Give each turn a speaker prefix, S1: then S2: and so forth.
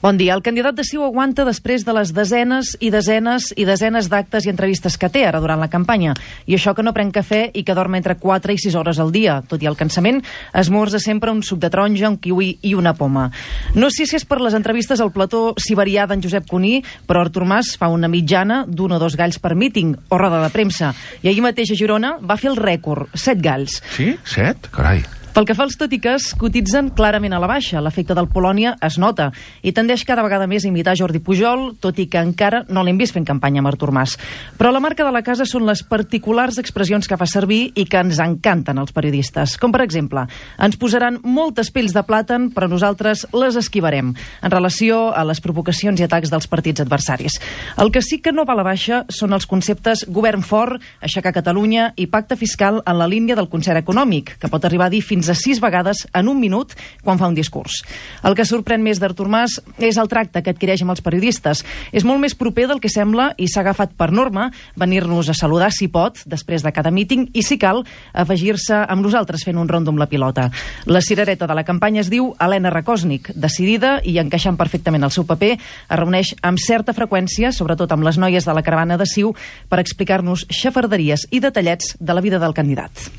S1: Bon dia. El candidat de CiU aguanta després de les desenes i desenes i desenes d'actes i entrevistes que té ara durant la campanya. I això que no pren cafè i que dorm entre 4 i 6 hores al dia. Tot i el cansament, esmorza sempre un suc de taronja, un kiwi i una poma. No sé si és per les entrevistes al plató siberià d'en Josep Cuní, però Artur Mas fa una mitjana d'un o 2 galls per míting o roda de premsa. I ahir mateix a Girona va fer el rècord, 7 galls.
S2: Sí? 7? Carai.
S1: Pel que fa als tot i que es cotitzen clarament a la baixa. L'efecte del Polònia es nota i tendeix cada vegada més a imitar Jordi Pujol, tot i que encara no l'hem vist fent campanya amb Artur Mas. Però la marca de la casa són les particulars expressions que fa servir i que ens encanten als periodistes. Com, per exemple, ens posaran moltes pells de plàtan, però nosaltres les esquivarem, en relació a les provocacions i atacs dels partits adversaris. El que sí que no va a la baixa són els conceptes govern fort, aixecar Catalunya i pacte fiscal en la línia del concert econòmic, que pot arribar a dir fins a 6 vegades en un minut quan fa un discurs. El que sorprèn més d'Artur Mas és el tracte que adquireix amb els periodistes. És molt més proper del que sembla i s'ha agafat per norma venir-nos a saludar si pot, després de cada míting, i si cal, afegir-se amb nosaltres fent un rondo amb la pilota. La cirereta de la campanya es diu Helena Rakòsnik. Decidida i encaixant perfectament el seu paper, es reuneix amb certa freqüència, sobretot amb les noies de la caravana de CiU, per explicar-nos xafarderies i detallets de la vida del candidat.